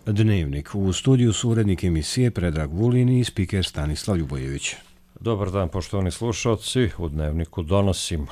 Dnevnik. U studiju su urednik emisije Predrag Vulin i spiker Stanislav Ljubojević. Dobar dan, poštovani slušalci. U Dnevniku donosimo.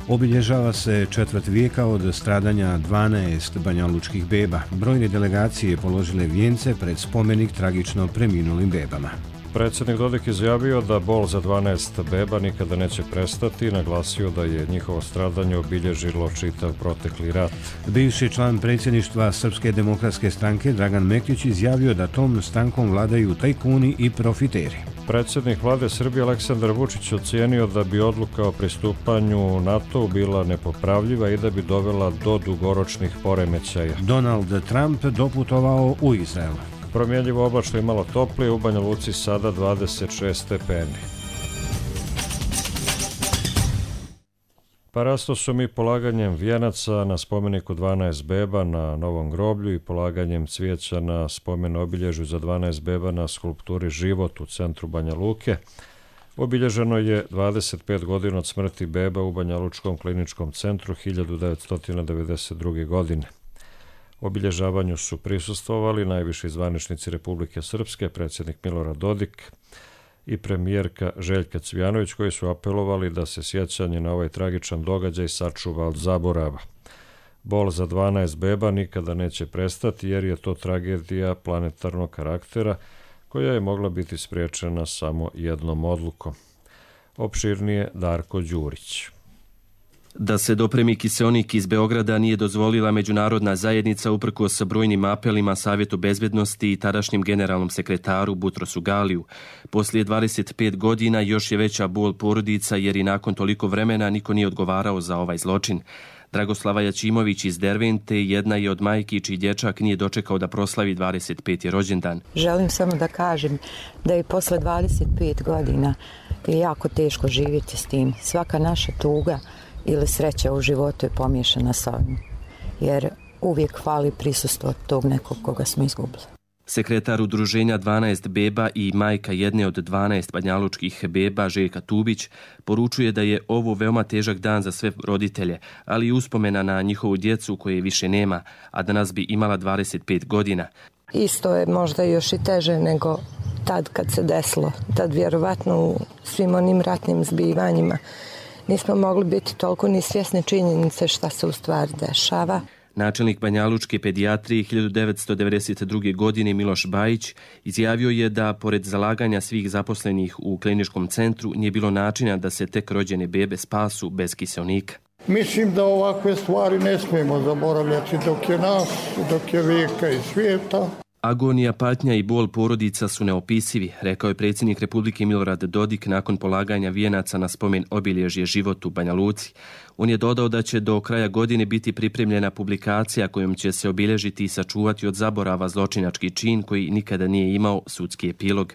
Obilježava se četvrt vijeka od stradanja 12 banjalučkih beba. Brojne delegacije položile vijence pred spomenik tragično preminulim bebama. Predsjednik Dodik izjavio da bol za 12 beba nikada neće prestati i naglasio da je njihovo stradanje obilježilo čitav protekli rat. Bivši član predsjedništva Srpske demokratske stranke Dragan Mektić izjavio da tom strankom vladaju tajkuni i profiteri. Predsjednik vlade Srbije Aleksandar Vučić ocijenio da bi odluka o pristupanju NATO bila nepopravljiva i da bi dovela do dugoročnih poremećaja. Donald Trump doputovao u Izrael. Promjenjivo oblačno i malo toplije, u Banja Luci sada 26 stepeni. Parasto su mi polaganjem vijenaca na spomeniku 12 beba na Novom groblju i polaganjem cvijeća na spomen obilježju za 12 beba na skulpturi Život u centru Banja Luke. Obilježeno je 25 godina od smrti beba u Banjalučkom kliničkom centru 1992. godine. Obilježavanju su prisustvovali najviši zvaničnici Republike Srpske, predsjednik Milorad Dodik i premijerka Željka Cvijanović, koji su apelovali da se sjećanje na ovaj tragičan događaj sačuva od zaborava. Bol za 12 beba nikada neće prestati jer je to tragedija planetarnog karaktera koja je mogla biti spriječena samo jednom odlukom. Opširnije Darko Đurić. Da se dopremi kiseonik iz Beograda nije dozvolila međunarodna zajednica uprkos brojnim apelima Savjetu bezbednosti i tadašnjem generalnom sekretaru Butrosu Galiju. Poslije 25 godina još je veća bol porodica jer i nakon toliko vremena niko nije odgovarao za ovaj zločin. Dragoslava Jačimović iz Dervente jedna je od majki čiji dječak nije dočekao da proslavi 25. rođendan. Želim samo da kažem da je posle 25 godina je jako teško živjeti s tim. Svaka naša tuga ili sreća u životu je pomiješana s ovim, jer uvijek fali prisustvo tog nekog koga smo izgubili. Sekretar udruženja 12 beba i majka jedne od 12 banjalučkih beba, Željka Tubić, poručuje da je ovo veoma težak dan za sve roditelje, ali i uspomena na njihovu djecu koje više nema, a danas bi imala 25 godina. Isto je možda još i teže nego tad kad se desilo, tad vjerovatno u svim onim ratnim zbivanjima nismo mogli biti toliko ni svjesni činjenice šta se u stvari dešava. Načelnik banjalučke pedijatrije 1992. godine Miloš Bajić izjavio je da pored zalaganja svih zaposlenih u kliničkom centru nije bilo načina da se tek rođene bebe spasu bez kiseonika. Mislim da ovakve stvari ne smijemo zaboravljati dok je nas, dok je vijeka i svijeta. Agonija, patnja i bol porodica su neopisivi, rekao je predsjednik Republike Milorad Dodik nakon polaganja vijenaca na spomen obilježje Život u Banja Luci. On je dodao da će do kraja godine biti pripremljena publikacija kojom će se obilježiti i sačuvati od zaborava zločinački čin koji nikada nije imao sudski epilog.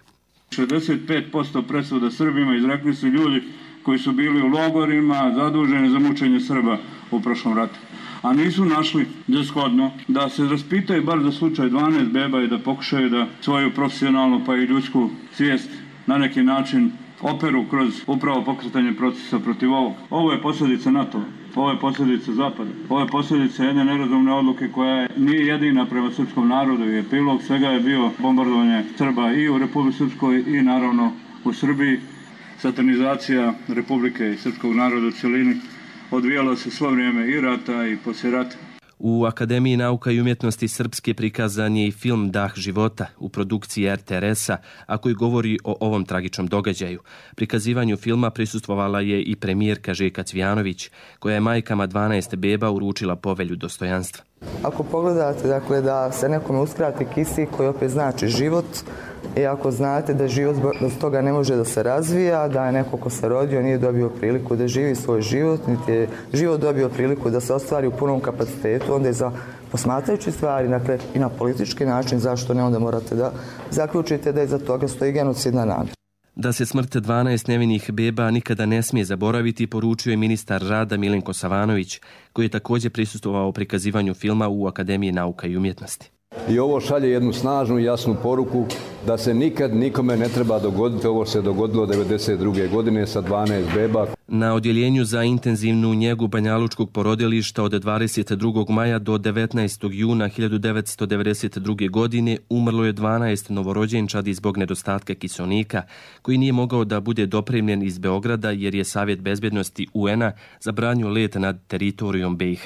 65% presuda Srbima izrekli su ljudi koji su bili u logorima zaduženi za mučenje Srba u prošlom ratu. A nisu našli za shodno da se raspitaju bar za slučaj 12 beba i da pokušaju da svoju profesionalnu pa i ljudsku svijest na neki način operu kroz upravo pokretanje procesa protiv ovog. Ovo je posljedica NATO, ovo je posljedica Zapada, ovo je posljedica jedne nerazumne odluke koja nije jedina prema srpskom narodu i epilog svega je bio bombardovanje Srba i u Republici Srpskoj i naravno u Srbiji. Satanizacija Republike i srpskog naroda u cjelini odvijalo se svo vrijeme i rata i poslije rata. U Akademiji nauka i umjetnosti Srpske prikazan je i film Dah života u produkciji RTRS-a, a koji govori o ovom tragičnom događaju. Prikazivanju filma prisustvovala je i premijerka Željka Cvijanović, koja je majkama 12 beba uručila povelju dostojanstva. Ako pogledate dakle, da se nekome uskrati kisik koji opet znači život, i ako znate da život bez toga ne može da se razvija, da je neko ko se rodio nije dobio priliku da živi svoj život, niti je život dobio priliku da se ostvari u punom kapacitetu, onda je za posmatrajući stvari, dakle i na politički način, zašto ne, onda morate da zaključite da iza toga stoji genocidna namjera. Da se smrt 12 nevinih beba nikada ne smije zaboraviti, poručio je ministar rada Milenko Savanović, koji je također prisustvovao prikazivanju filma u Akademiji nauka i umjetnosti. I ovo šalje jednu snažnu i jasnu poruku da se nikad nikome ne treba dogoditi. Ovo se dogodilo 1992. godine sa 12 beba. Na odjeljenju za intenzivnu njegu banjalučkog porodilišta od 22. maja do 19. juna 1992. godine umrlo je 12 novorođenčadi zbog nedostatka kiseonika, koji nije mogao da bude dopremljen iz Beograda jer je Savjet bezbednosti UN-a zabranio let nad teritorijom BiH.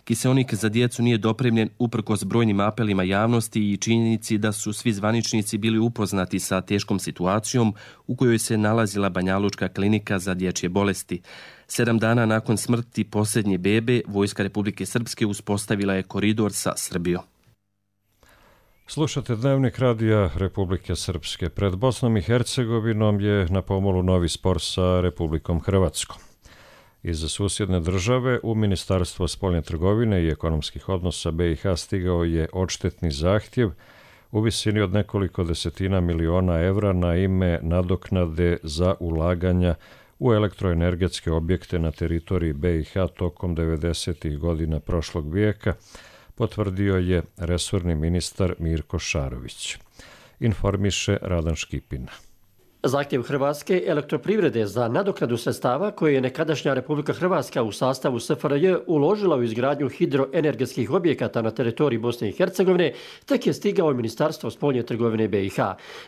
Kiseonik za djecu nije dopremljen uprkos brojnim apelima javnosti i činjenici da su svi zvaničnici bili upoznati sa teškom situacijom u kojoj se nalazila Banjalučka klinika za dječje bolesti. 7 dana nakon smrti posljednje bebe, Vojska Republike Srpske uspostavila je koridor sa Srbijom. Slušate Dnevnik radija Republike Srpske. Pred Bosnom i Hercegovinom je na pomolu novi spor sa Republikom Hrvatskom. Iz susjedne države u Ministarstvo spoljne trgovine i ekonomskih odnosa BiH stigao je odštetni zahtjev u visini od nekoliko desetina miliona evra na ime nadoknade za ulaganja u elektroenergetske objekte na teritoriji BiH tokom 90. godina prošlog vijeka, potvrdio je resorni ministar Mirko Šarović. Informiše Radan Škipina. Zahtjev Hrvatske elektroprivrede za nadoknadu sredstava koje je nekadašnja Republika Hrvatska u sastavu SFRJ uložila u izgradnju hidroenergetskih objekata na teritoriji Bosne i Hercegovine tek je stigao u Ministarstvo spoljne trgovine BiH.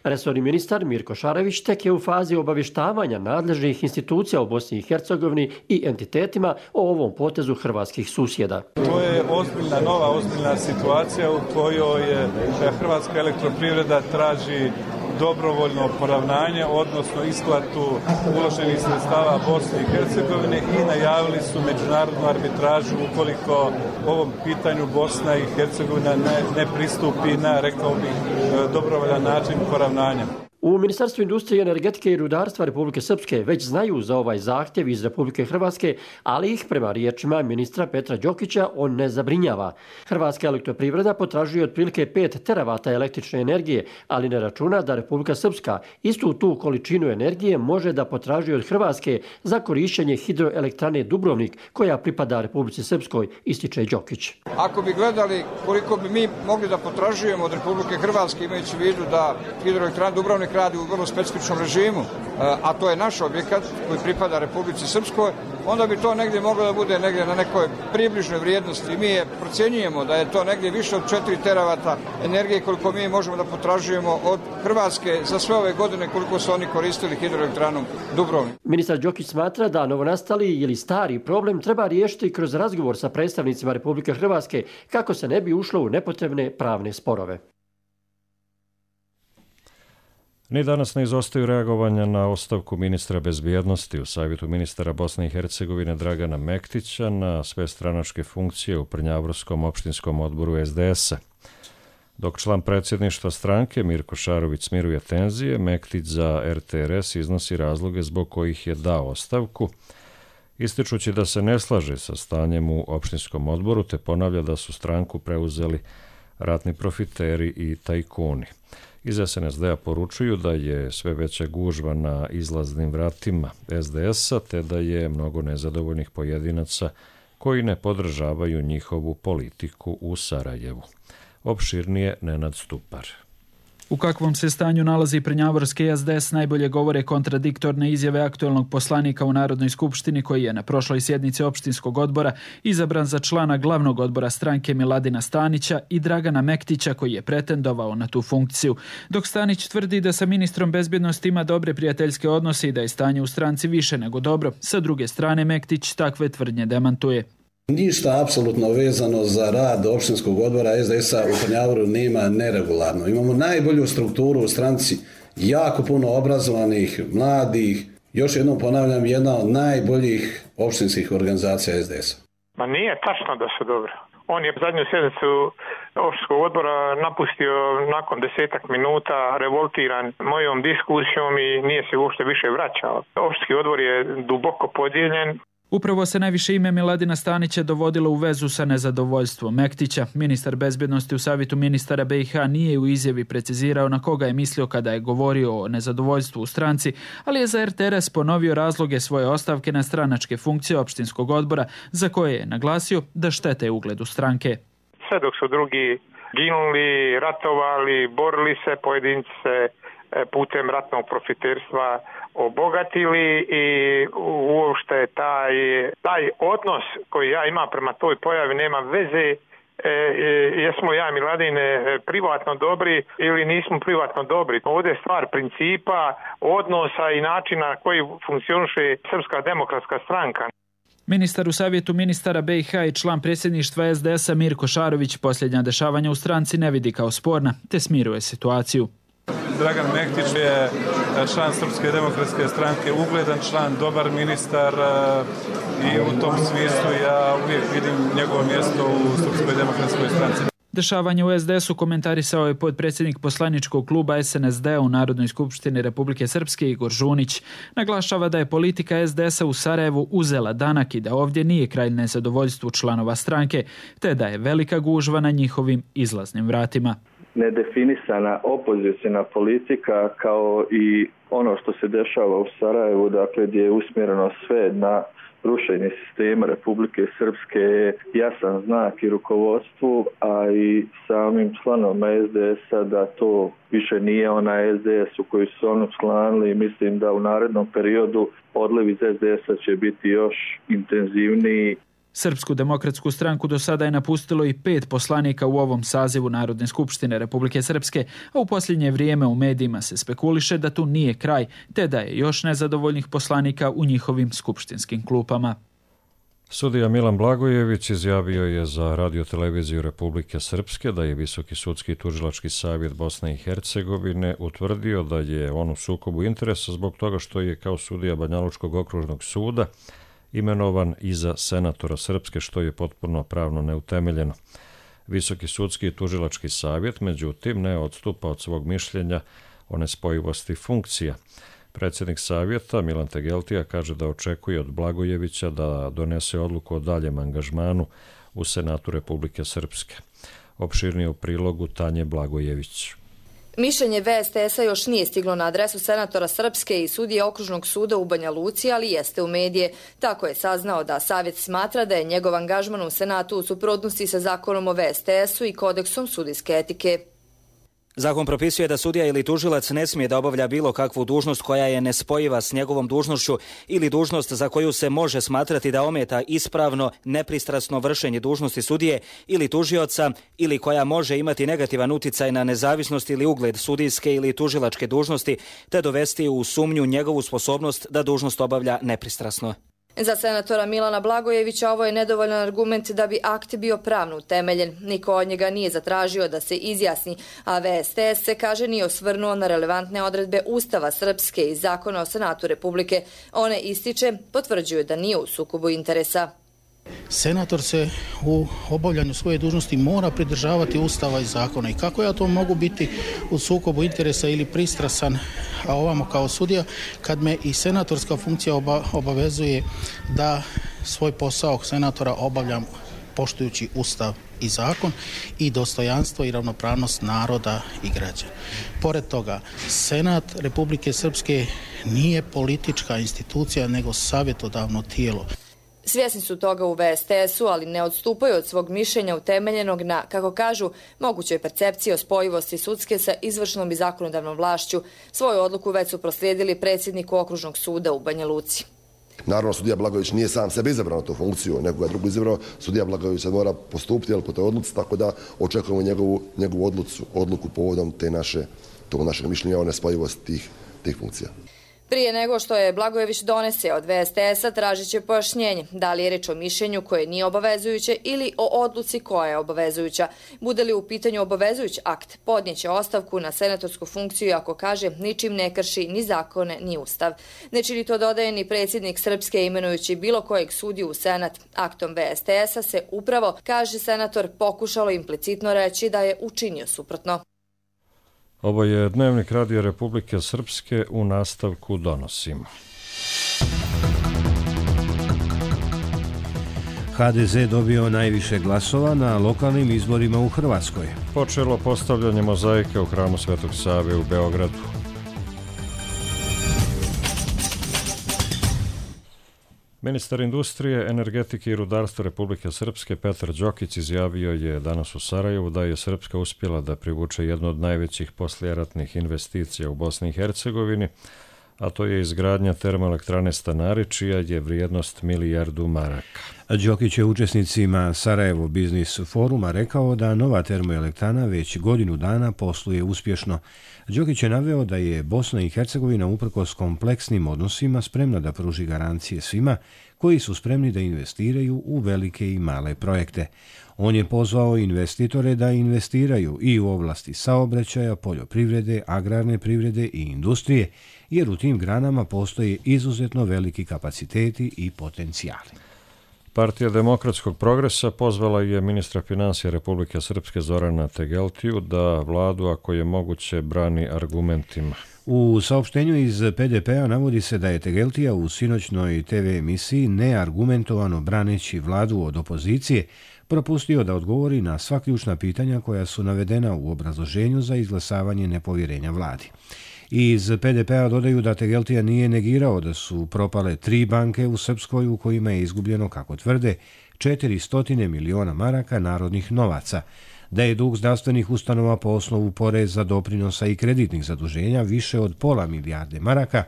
Resorni ministar Mirko Šarović tek je u fazi obavještavanja nadležnih institucija u Bosni i Hercegovini i entitetima o ovom potezu hrvatskih susjeda. To je ozbiljna situacija u kojoj Hrvatska elektroprivreda traži dobrovoljno poravnanje, odnosno isplatu uloženih sredstava Bosne i Hercegovine i najavili su međunarodnu arbitražu ukoliko ovom pitanju Bosna i Hercegovina ne pristupi na, rekao bih, dobrovoljan način poravnanja. U Ministarstvu industrije, energetike i rudarstva Republike Srpske već znaju za ovaj zahtjev iz Republike Hrvatske, ali ih prema riječima ministra Petra Đokića on ne zabrinjava. Hrvatska elektroprivreda potražuje otprilike 5 teravata električne energije, ali ne računa da Republika Srpska istu tu količinu energije može da potražuje od Hrvatske za korištenje hidroelektrane Dubrovnik, koja pripada Republici Srpskoj, ističe Đokić. Ako bi gledali koliko bi mi mogli da potražujemo od Republike Hrvatske, imajući u vidu da hidroelektrana Dubrovnik radi u vrlo specifičnom režimu, a to je naš objekat koji pripada Republici Srpskoj, onda bi to negdje moglo da bude negdje na nekoj približnoj vrijednosti. Mi procjenjujemo da je to negdje više od 4 teravata energije koliko mi možemo da potražujemo od Hrvatske za sve ove godine koliko su oni koristili hidroelektranom Dubrovnik. Ministar Đokić smatra da novonastali ili stari problem treba riješiti kroz razgovor sa predstavnicima Republike Hrvatske kako se ne bi ušlo u nepotrebne pravne sporove. Ni danas ne izostaju reagovanja na ostavku ministra bezbjednosti u Savjetu ministara Bosne i Hercegovine Dragana Mektića na sve stranačke funkcije u Prnjavorskom opštinskom odboru SDS-a. Dok član predsjedništva stranke Mirko Šarović smiruje tenzije, Mektić za RTRS iznosi razloge zbog kojih je dao ostavku, ističući da se ne slaže sa stanjem u opštinskom odboru te ponavlja da su stranku preuzeli ratni profiteri i tajkuni. Iz SNSD-a poručuju da je sve veća gužva na izlaznim vratima SDS-a te da je mnogo nezadovoljnih pojedinaca koji ne podržavaju njihovu politiku u Sarajevu. Opširnije Nenad Stupar. U kakvom se stanju nalazi Prnjavorski SDS najbolje govore kontradiktorne izjave aktuelnog poslanika u Narodnoj skupštini koji je na prošloj sjednici opštinskog odbora izabran za člana glavnog odbora stranke Miladina Stanića i Dragana Mektića koji je pretendovao na tu funkciju. Dok Stanić tvrdi da sa ministrom bezbjednosti ima dobre prijateljske odnose i da je stanje u stranci više nego dobro, sa druge strane Mektić takve tvrdnje demantuje. Ništa apsolutno vezano za rad opštinskog odbora SDS-a u Prnjavoru nema neregularno. Imamo najbolju strukturu u stranci, jako puno obrazovanih, mladih. Još jednom ponavljam, jedna od najboljih opštinskih organizacija SDS-a. Ma nije tačno da su dobro. On je zadnju sjednicu opštinskog odbora napustio nakon 10 minuta, revoltiran mojom diskusijom i nije se uopšte više vraćao. Opštinski odbor je duboko podijeljen. Upravo se najviše ime Miladina Stanića dovodilo u vezu sa nezadovoljstvom Mektića. Ministar bezbjednosti u Savjetu ministara BiH nije u izjavi precizirao na koga je mislio kada je govorio o nezadovoljstvu u stranci, ali je za RTRS ponovio razloge svoje ostavke na stranačke funkcije opštinskog odbora, za koje je naglasio da štete ugledu stranke. Sve dok su drugi ginuli, ratovali, borili se, pojedinci se putem ratnog profiterstva obogatili i uopšte taj odnos koji ja imam prema toj pojavi nema veze jesmo ja Miladine privatno dobri ili nismo privatno dobri. Ovdje je stvar principa, odnosa i načina na koji funkcioniše Srpska demokratska stranka. Ministar u Savjetu ministara BiH i član predsjedništva SDS-a Mirko Šarović posljednja dešavanja u stranci ne vidi kao sporna, te smiruje situaciju. Dragan Mehtić je član Srpske demokratske stranke, ugledan član, dobar ministar i u tom smislu ja uvijek vidim njegovo mjesto u Srpskoj demokratskoj stranci. Dešavanje u SDS-u komentarisao je potpredsjednik poslaničkog kluba SNSD u Narodnoj skupštini Republike Srpske Igor Žunić. Naglašava da je politika SDS-a u Sarajevu uzela danak i da ovdje nije kraj nezadovoljstvu članova stranke, te da je velika gužva na njihovim izlaznim vratima. Nedefinisana opozicijna politika kao i ono što se dešava u Sarajevu, dakle gdje je usmjereno sve na rušenje sistema Republike Srpske je jasan znak i rukovodstvu, a i samim članovima SDS-a da to više nije onaj SDS u koji su oni članili. Mislim da u narednom periodu odliv iz SDS-a će biti još intenzivniji. Srpsku demokratsku stranku do sada je napustilo i 5 poslanika u ovom sazivu Narodne skupštine Republike Srpske, a u posljednje vrijeme u medijima se spekuliše da tu nije kraj, te da je još nezadovoljnih poslanika u njihovim skupštinskim klupama. Sudija Milan Blagojević izjavio je za radioteleviziju Republike Srpske da je Visoki sudski tužilački savjet Bosne i Hercegovine utvrdio da je on u sukobu interesa zbog toga što je kao sudija Banjalučkog okružnog suda imenovan i za senatora Srpske, što je potpuno pravno neutemeljeno. Visoki sudski tužilački savjet, međutim, ne odstupa od svog mišljenja o nespojivosti funkcija. Predsjednik savjeta Milan Tegeltija kaže da očekuje od Blagojevića da donese odluku o daljem angažmanu u Senatu Republike Srpske. Opširnije u prilogu Tanje Blagojević. Mišljenje VSTS-a još nije stiglo na adresu senatora Srpske i sudije Okružnog suda u Banja Luci, ali jeste u medije. Tako je saznao da savjet smatra da je njegov angažman u Senatu u suprotnosti sa zakonom o VSTS-u i kodeksom sudijske etike. Zakon propisuje da sudija ili tužilac ne smije da obavlja bilo kakvu dužnost koja je nespojiva s njegovom dužnošću ili dužnost za koju se može smatrati da ometa ispravno, nepristrasno vršenje dužnosti sudije ili tužioca ili koja može imati negativan uticaj na nezavisnost ili ugled sudijske ili tužilačke dužnosti te dovesti u sumnju njegovu sposobnost da dužnost obavlja nepristrasno. Za senatora Milana Blagojevića ovo je nedovoljan argument da bi akt bio pravno utemeljen. Niko od njega nije zatražio da se izjasni, a VSTS se, kaže, nije osvrnuo na relevantne odredbe Ustava Srpske i Zakona o Senatu Republike. One ističe, potvrđuju da nije u sukobu interesa. Senator se u obavljanju svoje dužnosti mora pridržavati Ustava i zakona. I kako ja to mogu biti u sukobu interesa ili pristrasan, a ovamo kao sudija, kad me i senatorska funkcija obavezuje da svoj posao senatora obavljam poštujući Ustav i zakon i dostojanstvo i ravnopravnost naroda i građana. Pored toga, Senat Republike Srpske nije politička institucija, nego savjetodavno tijelo. Svjesni su toga u VSTS-u, ali ne odstupaju od svog mišljenja utemeljenog na, kako kažu, mogućoj percepciji o spojivosti sudske sa izvršnom i zakonodavnom vlašću. Svoju odluku već su proslijedili predsjedniku Okružnog suda u Banja Luci. Naravno, sudija Blagojević nije sam sebe izabrao na tu funkciju, nego ga drugo izabrao. Sudija Blagojević se mora postupiti po toj odluci, tako da očekujemo njegovu odluku povodom tog našeg mišljenja o nespojivosti tih funkcija. Prije nego što je Blagojević donese od VSTS-a, tražit će pojašnjenje da li je reč o mišljenju koje nije obavezujuće ili o odluci koja je obavezujuća. Bude li u pitanju obavezujući akt, podnijeće ostavku na senatorsku funkciju ako, kaže, ničim ne krši ni zakone ni ustav. Ne čini to, dodaje, ni predsjednik Srpske imenujući bilo kojeg sudiju u Senat. Aktom VSTS-a se upravo, kaže senator, pokušalo implicitno reći da je učinio suprotno. Ovo je Dnevnik Radija Republike Srpske, u nastavku donosimo. HDZ dobio najviše glasova na lokalnim izborima u Hrvatskoj. Počelo postavljanje mozaike u hramu Svetog Save u Beogradu. Ministar industrije, energetike i rudarstva Republike Srpske Petar Đokić izjavio je danas u Sarajevu da je Srpska uspjela da privuče jednu od najvećih poslijeratnih investicija u Bosni i Hercegovini, a to je izgradnja termoelektrane Stanari, čija je vrijednost milijardu maraka. Đokić je učesnicima Sarajevo Biznis foruma rekao da nova termoelektrana već godinu dana posluje uspješno. Đokić je naveo da je Bosna i Hercegovina uprkos kompleksnim odnosima spremna da pruži garancije svima koji su spremni da investiraju u velike i male projekte. On je pozvao investitore da investiraju i u oblasti saobraćaja, poljoprivrede, agrarne privrede i industrije, jer u tim granama postoje izuzetno veliki kapaciteti i potencijali. Partija demokratskog progresa pozvala je ministra financija Republike Srpske Zorana Tegeltiju da vladu, ako je moguće, brani argumentima. U saopštenju iz PDP-a navodi se da je Tegeltija u sinoćnoj TV emisiji neargumentovano braneći vladu od opozicije propustio da odgovori na sva ključna pitanja koja su navedena u obrazloženju za izglasavanje nepovjerenja vladi. Iz PDP-a dodaju da Tegeltija nije negirao da su propale 3 banke u Srpskoj u kojima je izgubljeno, kako tvrde, 400 miliona maraka narodnih novaca, da je dug zdravstvenih ustanova po osnovu poreza, doprinosa i kreditnih zaduženja više od pola milijarde maraka,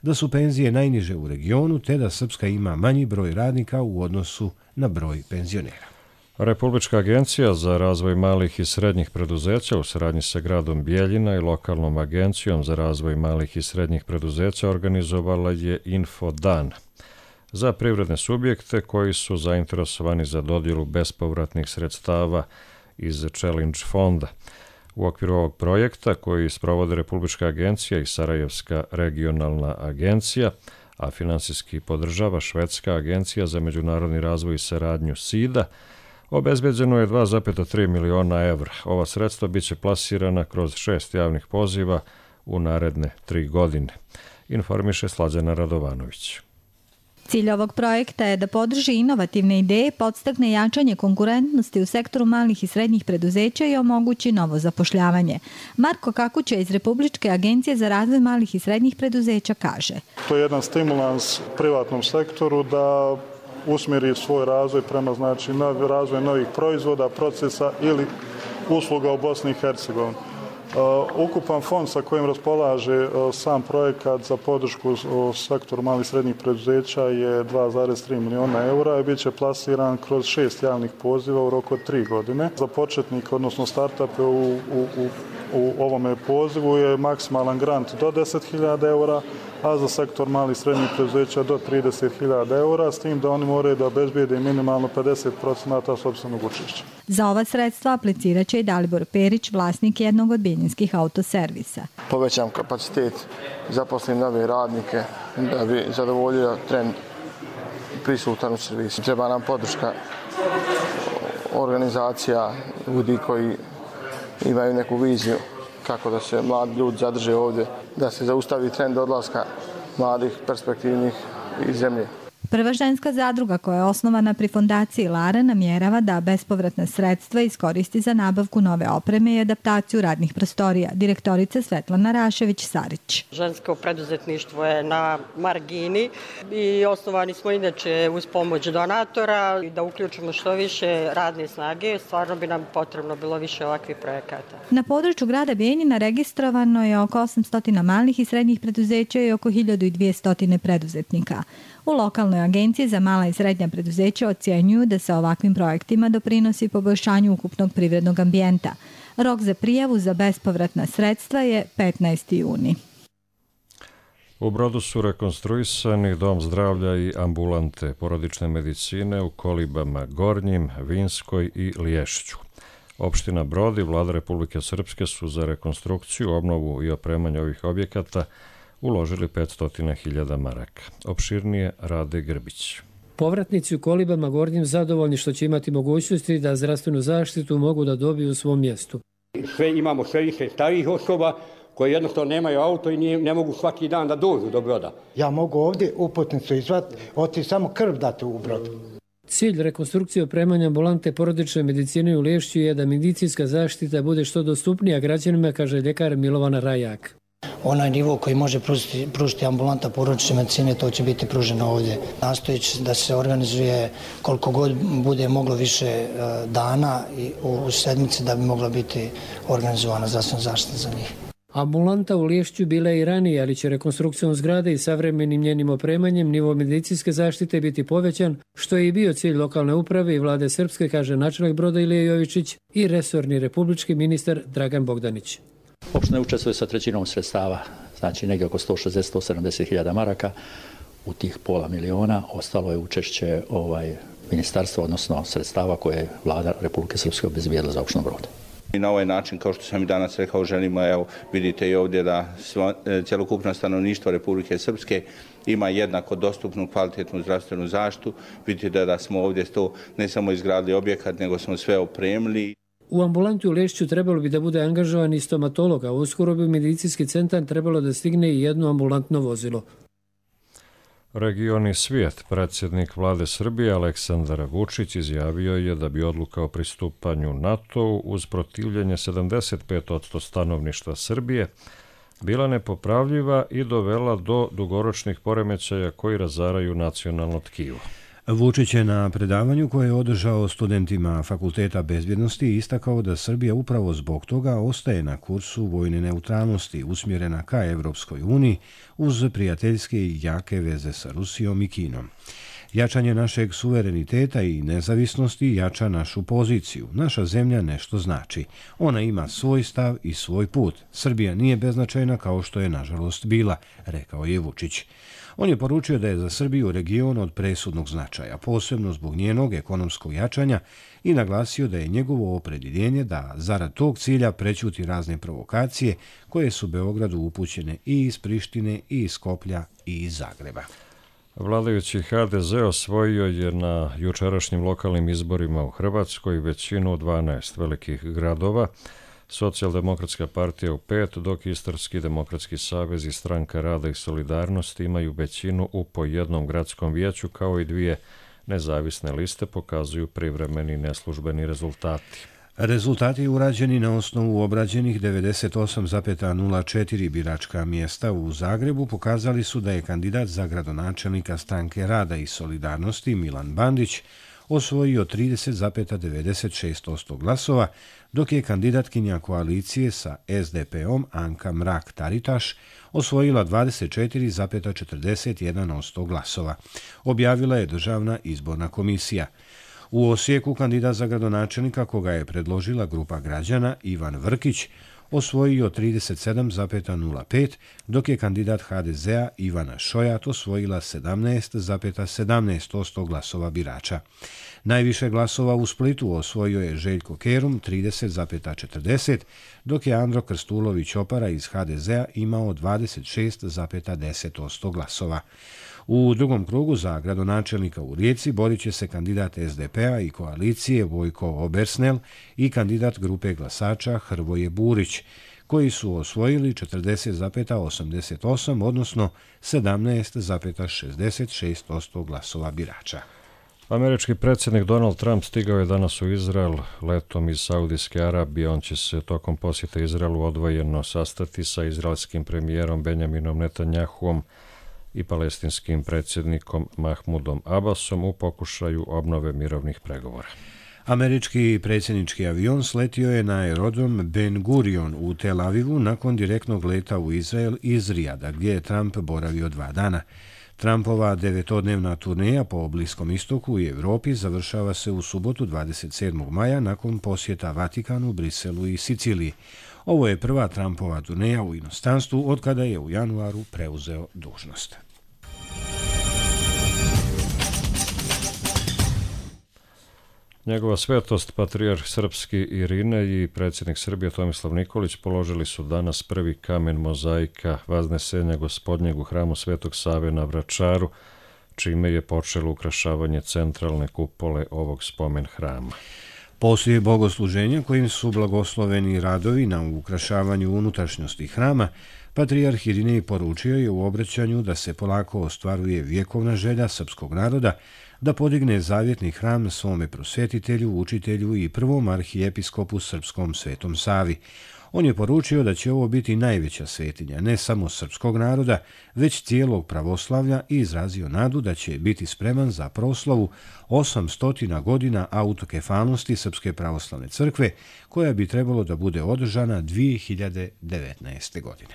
da su penzije najniže u regionu te da Srpska ima manji broj radnika u odnosu na broj penzionera. Republička agencija za razvoj malih i srednjih preduzeća u saradnji sa gradom Bijeljina i lokalnom agencijom za razvoj malih i srednjih preduzeća organizovala je Infodan za privredne subjekte koji su zainteresovani za dodjelu bespovratnih sredstava iz Challenge fonda. U okviru ovog projekta, koji sprovode Republička agencija i Sarajevska regionalna agencija, a finansijski podržava Švedska agencija za međunarodni razvoj i saradnju SIDA, obezbeđeno je 2,3 miliona evra. Ova sredstva biće plasirana kroz 6 javnih poziva u naredne 3 godine, informiše Slađana Radovanović. Cilj ovog projekta je da podrži inovativne ideje, podstakne jačanje konkurentnosti u sektoru malih i srednjih preduzeća i omogući novo zapošljavanje. Marko Kakuća iz Republičke agencije za razvoj malih i srednjih preduzeća kaže: To je jedan stimulans privatnom sektoru da usmjeri svoj razvoj prema razvoj novih proizvoda, procesa ili usluga u Bosni i Hercegovini. Ukupan fond sa kojim raspolaže sam projekat za podršku u sektoru malih i srednjih preduzeća je 2,3 miliona eura i bit će plasiran kroz 6 javnih poziva u roku od 3 godine. Za početnike, odnosno startupe u ovome pozivu je maksimalan grant do 10.000 eura, a za sektor malih i srednjih preduzeća do 30.000 eura, s tim da oni moraju da obezbijede minimalno 50% sopstvenog učešća. Za ova sredstva aplicirat će i Dalibor Perić, vlasnik jednog od bijeljinskih autoservisa. Povećam kapacitet, zaposlim nove radnike da bi zadovoljio trend prisutan u servisu. Treba nam podrška organizacija, ljudi koji imaju neku viziju kako da se mladi ljudi zadrže ovdje, da se zaustavi trend odlaska mladih, perspektivnih iz zemlje. Prva ženska zadruga koja je osnovana pri fondaciji Lara namjerava da bespovratna sredstva iskoristi za nabavku nove opreme i adaptaciju radnih prostorija. Direktorica Svetlana Rašević-Sarić. Žensko preduzetništvo je na margini i osnovani smo inače uz pomoć donatora i da uključimo što više radne snage. Stvarno bi nam potrebno bilo više ovakvih projekata. Na području grada Bijeljina registrovano je oko 800 malih i srednjih preduzeća i oko 1200 preduzetnika. U lokalnoj agenciji za mala i srednja preduzeća ocjenjuju da se ovakvim projektima doprinosi poboljšanju ukupnog privrednog ambijenta. Rok za prijavu za bespovratna sredstva je 15. juni. U Brodu su rekonstruisani dom zdravlja i ambulante porodične medicine u Kolibama Gornjim, Vinskoj i Liješću. Opština Brod i Vlada Republike Srpske su za rekonstrukciju, obnovu i opremanje ovih objekata uložili 500.000 maraka. Opširnije Rade Grbić. Povratnici u Kolibama Gornjim zadovoljni što će imati mogućnosti da zdravstvenu zaštitu mogu da dobiju u svom mjestu. Imamo sve više starijih osoba koji jednostavno nemaju auto i ne mogu svaki dan da dođu do Broda. Ja mogu ovdje uputnicu izvati, otići samo krv dati u Brod. Cilj rekonstrukcije opremanja ambulante porodične medicine u Liješću je da medicinska zaštita bude što dostupnija građanima, kaže ljekar Milovana Rajak. Onaj nivo koji može pružiti ambulanta porodične medicine, to će biti pruženo ovdje. Nastojeći da se organizuje koliko god bude moglo više dana i u sedmici da bi mogla biti organizovana zdravstvena zaštita za njih. Ambulanta u Liješću bila je i ranije, ali će rekonstrukcijom zgrade i savremenim njenim opremanjem nivo medicinske zaštite biti povećan, što je i bio cilj lokalne uprave i vlade Srpske, kaže načelnik Broda Ilija Jovičić i resorni republički ministar Dragan Bogdanić. Opština učestvuje sa trećinom sredstava, znači negdje oko 160-170 hiljada maraka, u tih $500.000 ostalo je učešće ministarstva, odnosno sredstava koje je vlada Republike Srpske obezbijedila za opštinu Brod. I na ovaj način, kao što sam i danas rekao, želimo, evo, vidite i ovdje da cjelokupno stanovništvo Republike Srpske ima jednako dostupnu kvalitetnu zdravstvenu zaštitu. Vidite da smo ovdje to ne samo izgradili objekat, nego smo sve opremili. U ambulanti u Lešću trebalo bi da bude angažovan i stomatolog, a uskoro bi medicinski centar trebalo da stigne i jedno ambulantno vozilo. Region i svijet. Predsjednik vlade Srbije Aleksandar Vučić izjavio je da bi odluka o pristupanju NATO-u uz protivljenje 75% stanovništva Srbije bila nepopravljiva i dovela do dugoročnih poremećaja koji razaraju nacionalno tkivo. Vučić je na predavanju koje je održao studentima Fakulteta bezbjednosti istakao da Srbija upravo zbog toga ostaje na kursu vojne neutralnosti usmjerena ka Evropskoj uniji uz prijateljske i jake veze sa Rusijom i Kinom. Jačanje našeg suvereniteta i nezavisnosti jača našu poziciju. Naša zemlja nešto znači. Ona ima svoj stav i svoj put. Srbija nije beznačajna kao što je nažalost bila, rekao je Vučić. On je poručio da je za Srbiju region od presudnog značaja, posebno zbog njenog ekonomskog jačanja i naglasio da je njegovo opredjeljenje da zarad tog cilja prećuti razne provokacije koje su Beogradu upućene i iz Prištine i iz Skoplja i iz Zagreba. Vladajući HDZ osvojio je na jučerašnjim lokalnim izborima u Hrvatskoj većinu 12 velikih gradova, Socijaldemokratska partija u 5, dok Istarski demokratski savez i Stranka rada i solidarnosti imaju većinu u po jednom gradskom vijeću, kao i 2 nezavisne liste, pokazuju privremeni neslužbeni rezultati. Rezultati urađeni na osnovu obrađenih 98,04 biračka mjesta u Zagrebu pokazali su da je kandidat za gradonačelnika Stranke rada i solidarnosti Milan Bandić osvojio 30,96% glasova, dok je kandidatkinja koalicije sa SDP-om Anka Mrak-Taritaš osvojila 24,41% glasova, objavila je Državna izborna komisija. U Osijeku kandidat za gradonačelnika, koga je predložila grupa građana, Ivan Vrkić, osvojio 37,05, dok je kandidat HDZ-a Ivana Šojat osvojila 17,17% glasova birača. Najviše glasova u Splitu osvojio je Željko Kerum 30,40, dok je Andro Krstulović Opara iz HDZ-a imao 26,10% glasova. U drugom krugu za gradonačelnika u Rijeci borit će se kandidat SDP-a i koalicije Vojko Obersnel i kandidat grupe glasača Hrvoje Burić, koji su osvojili 40,88, odnosno 17,66% glasova birača. Američki predsjednik Donald Trump stigao je danas u Izrael letom iz Saudijske Arabije. On će se tokom posjeta Izraelu odvojeno sastati sa izraelskim premijerom Benjaminom Netanjahuom i palestinskim predsjednikom Mahmudom Abbasom u pokušaju obnove mirovnih pregovora. Američki predsjednički avion sletio je na aerodrom Ben Gurion u Tel Avivu nakon direktnog leta u Izrael iz Rijada, gdje je Trump boravio 2 dana. Trumpova 9-dnevna turneja po Bliskom istoku i Europi završava se u subotu 27. maja nakon posjeta Vatikanu, Briselu i Siciliji. Ovo je prva Trumpova turneja u inostranstvu od kada je u januaru preuzeo dužnost. Njegova svetost, patrijarh srpski Irinej i predsjednik Srbije Tomislav Nikolić položili su danas prvi kamen mozaika Vaznesenja Gospodnjeg u hramu Svetog Save na Vračaru, čime je počelo ukrašavanje centralne kupole ovog spomen hrama. Poslije bogosluženja kojim su blagosloveni radovi na ukrašavanju unutrašnjosti hrama, patrijarh Irinej poručio je u obraćanju da se polako ostvaruje vjekovna želja srpskog naroda da podigne zavjetni hram svome prosvetitelju, učitelju i prvom arhijepiskopu srpskom Svetom Savi. On je poručio da će ovo biti najveća svetinja ne samo srpskog naroda, već cijelog pravoslavlja i izrazio nadu da će biti spreman za proslavu 800 godina autokefalnosti Srpske pravoslavne crkve, koja bi trebalo da bude održana 2019. godine.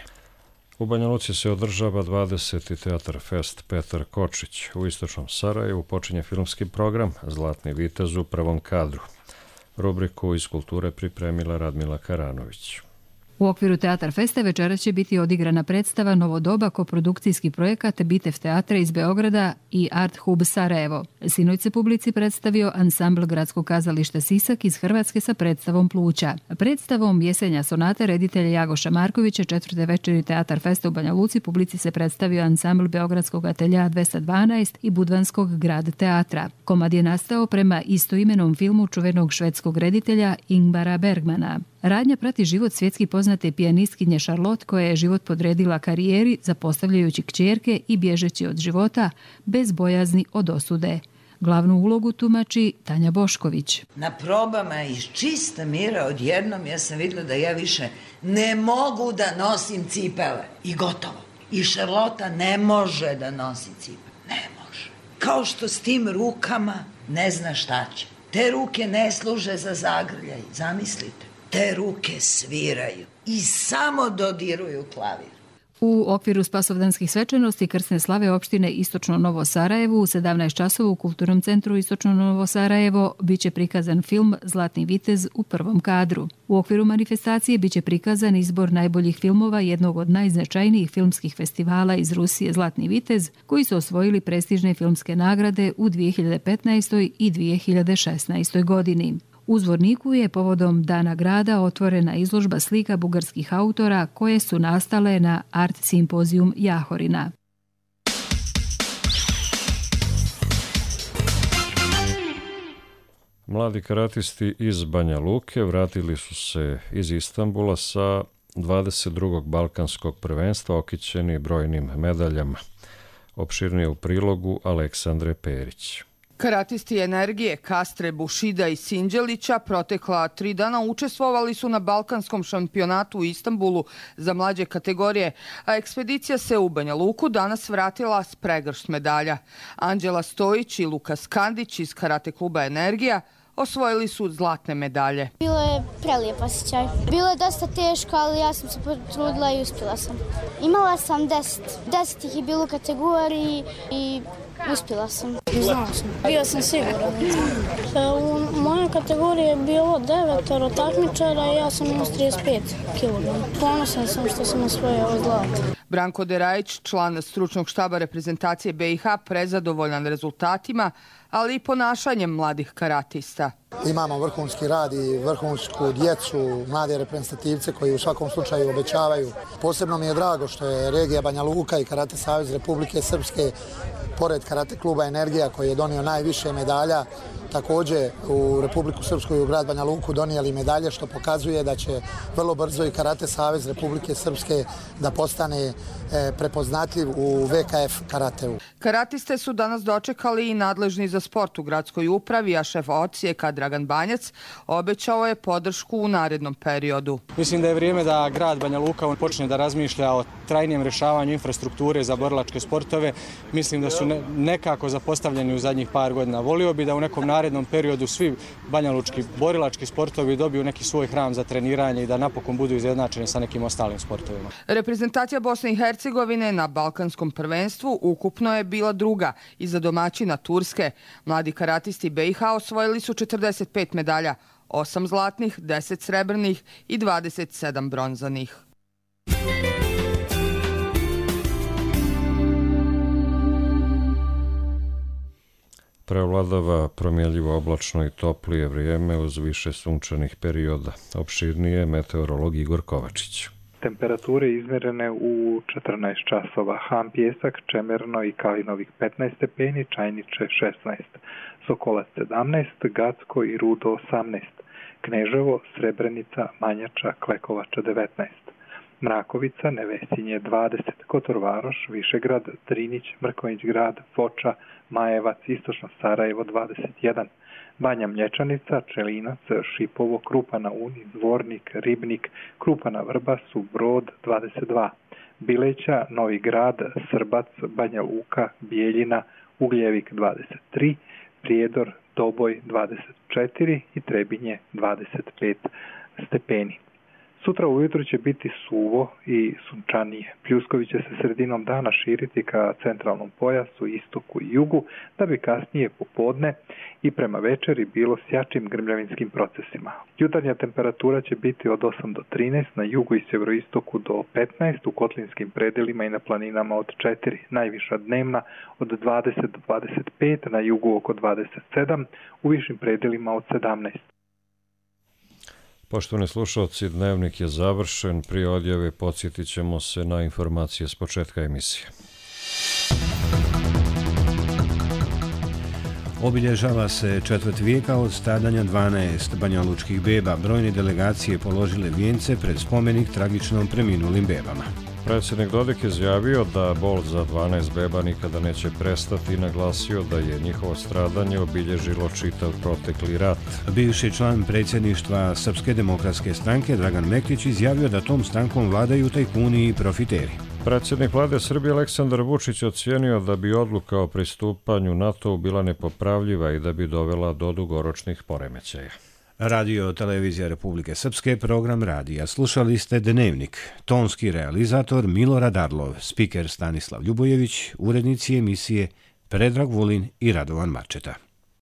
U Banja Luci se održava 20. Teatar Fest Petar Kočić. U istočnom Sarajevu počinje filmski program Zlatni vitez u prvom kadru. Rubriku iz kulture pripremila Radmila Karanović. U okviru Teatar Festa večeras će biti odigrana predstava Novo doba koprodukcijski projekat Bitev teatra iz Beograda i Art Hub Sarajevo. Sinoć se publici predstavio ansambl Gradskog kazališta Sisak iz Hrvatske sa predstavom Pluća. Predstavom Jesenja sonata reditelja Jagoša Markovića 4. večeri Teatar Festa u Banja Luci publici se predstavio ansambl Beogradskog atelja 212 i Budvanskog grad teatra. Komad je nastao prema istoimenom filmu čuvenog švedskog reditelja Ingmara Bergmana. Radnja prati život svjetski poznate pijanistkinje Charlotte, koja je život podredila karijeri zapostavljajući kćerke i bježeći od života bez bojazni od osude. Glavnu ulogu tumači Tanja Bošković. Na probama iz čista mira odjednom ja sam vidjela da ja više ne mogu da nosim cipele. I gotovo. I Charlotta ne može da nosi cipele. Ne može. Kao što s tim rukama ne zna šta će. Te ruke ne služe za zagrljaj. Zamislite. Te ruke sviraju i samo dodiruju klavir. U okviru spasovdanskih svečanosti krsne slave opštine Istočno Novo Sarajevo u 17 časova u Kulturnom centru Istočno Novo Sarajevo biće prikazan film Zlatni vitez u prvom kadru. U okviru manifestacije biće prikazan izbor najboljih filmova jednog od najznačajnijih filmskih festivala iz Rusije Zlatni vitez, koji su osvojili prestižne filmske nagrade u 2015. i 2016. godini. U Zvorniku je povodom Dana grada otvorena izložba slika bugarskih autora koje su nastale na Art Simpozijum Jahorina. Mladi karatisti iz Banja Luke vratili su se iz Istanbula sa 22. balkanskog prvenstva okićeni brojnim medaljama. Opširnije u prilogu Aleksandre Perić. Karatisti Energije, Kastre, Bušida i Sinđelića protekla 3 dana učestvovali su na balkanskom šampionatu u Istanbulu za mlađe kategorije, a ekspedicija se u Banja Luku danas vratila s pregršt medalja. Anđela Stojić i Lukas Kandić iz karate kluba Energija osvojili su zlatne medalje. Bilo je prelijep osjećaj. Bilo je dosta teško, ali ja sam se potrudila i uspjela sam. Imala sam 10. 10 ih je bilo u kategoriji i uspjela sam. Znala sam. Bila sam siguran. U mojoj kategoriji je bilo 9 takmičara i ja sam imao 35 kg. Ponosan sam što sam osvojio ovo zlato. Branko Derajić, član stručnog štaba reprezentacije BiH, prezadovoljan rezultatima, ali i ponašanjem mladih karatista. Imamo vrhunski rad i vrhunsku djecu, mlade reprezentativce koji u svakom slučaju obećavaju. Posebno mi je drago što je regija Banja Luka i Karate Savez Republike Srpske, pored karate kluba Energija koji je donio najviše medalja, također u Republiku Srpsku i u grad Banja Luku donijeli medalje, što pokazuje da će vrlo brzo i Karate Savez Republike Srpske da postane prepoznatljiv u VKF karateu. Karatiste su danas dočekali i nadležni za sport u gradskoj upravi, a šef odsjeka Dragan Banjac obećao je podršku u narednom periodu. Mislim da je vrijeme da grad Banja Luka počne da razmišlja o trajnijem rješavanju infrastrukture za borilačke sportove. Mislim da su nekako zapostavljeni u zadnjih par godina. Volio bi da u nekom narednom periodu svi banjalučki borilački sportovi dobiju neki svoj hram za treniranje i da napokon budu izjednačeni sa nekim ostalim sportovima. Reprezentacija Bosne i Hercegovine na balkanskom prvenstvu ukupno je bila druga iza domaćina Turske. Mladi karatisti BiH osvojili su 45 medalja, 8 zlatnih, 10 srebrnih i 27 bronzanih. Prevladava promjenljivo oblačno i toplije vrijeme uz više sunčanih perioda. Opširnije meteorolog Igor Kovačić. Temperature izmjerene u 14 časova. Han Pjesak, Čemerno i Kalinovik 15 stepeni, Čajniče 16, Sokolac 17, Gacko i Rudo 18, Kneževo, Srebrenica, Manjača, Klekovača 19, Mrakovica, Nevesinje 20, Kotor Varoš, Višegrad, Drinić, Mrkonjić grad, Foča, Majevac, Istočno Sarajevo 21, Banja Mlječanica, Čelinac, Šipovo, Krupa na Uni, Dvornik, Ribnik, Krupa na Vrbasu, Brod 22, Bileća, Novi Grad, Srbac, Banja Luka, Bijeljina, Ugljevik 23, Prijedor, Doboj 24 i Trebinje 25 stepeni. Sutra ujutro će biti suvo i sunčanije. Pljuskovi će se sredinom dana širiti ka centralnom pojasu, istoku i jugu, da bi kasnije popodne i prema večeri bilo s jačim grmljavinskim procesima. Jutarnja temperatura će biti od 8 do 13, na jugu i sjeveroistoku do 15, u kotlinskim predelima i na planinama od 4, najviša dnevna od 20 do 25, na jugu oko 27, u višim predelima od 17. Poštovani slušalci, dnevnik je završen. Prije odjave podsjetit ćemo se na informacije s početka emisije. Obilježava se četvrt vijeka od stradanja 12 banjalučkih beba. Brojne delegacije položile vijence pred spomenik tragično preminulim bebama. Predsjednik Dodik je izjavio da bol za 12 beba nikada neće prestati i naglasio da je njihovo stradanje obilježilo čitav protekli rat. Bivši član predsjedništva Srpske demokratske stranke Dragan Mektić izjavio da tom strankom vladaju tajkuni i profiteri. Predsjednik vlade Srbije Aleksandar Vučić ocijenio da bi odluka o pristupanju NATO-u bila nepopravljiva i da bi dovela do dugoročnih poremećaja. Radio Televizija Republike Srpske, program radija. Slušali ste Dnevnik. Tonski realizator Milorad Arlov, spiker Stanislav Ljubojević, urednici emisije Predrag Vulin i Radovan Marčeta.